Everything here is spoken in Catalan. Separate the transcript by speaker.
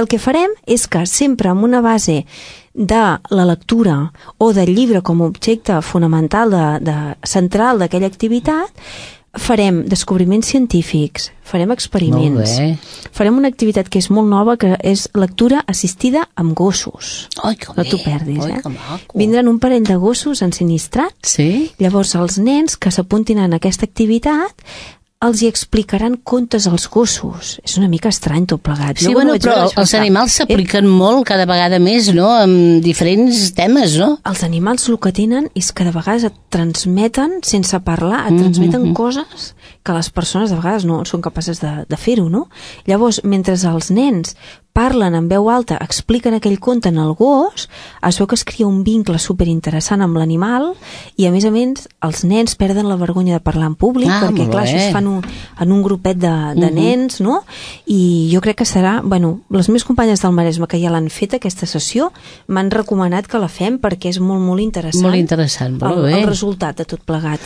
Speaker 1: El que farem és que sempre amb una base de la lectura o del llibre com a objecte fonamental central d'aquella activitat, farem descobriments científics, farem experiments, farem una activitat que és molt nova, que és lectura assistida amb gossos.
Speaker 2: Ai, que
Speaker 1: no t'ho perdis, Vindran un parell de gossos ensinistrats, llavors els nens que s'apuntin en aquesta activitat els hi explicaran contes als gossos. És una mica estrany tot plegat.
Speaker 2: Sí, bueno, però els animals s'apliquen molt cada vegada més, no?, amb diferents temes, no?
Speaker 1: Els animals el que tenen és que de vegades et transmeten, sense parlar, et transmeten coses que les persones de vegades no són capaces de fer-ho, no? Llavors, mentre els nens parlen en veu alta, expliquen aquell conte en el gos, es veu que es crea un vincle superinteressant amb l'animal i, a més, els nens perden la vergonya de parlar en públic, perquè, clar, això es fan en un grupet de nens, no? I jo crec que serà... Bueno, les meves companyes del Maresme que ja l'han fet, aquesta sessió, m'han recomanat que la fem perquè és molt, molt interessant.
Speaker 2: Molt interessant, molt bé.
Speaker 1: El resultat de tot plegat.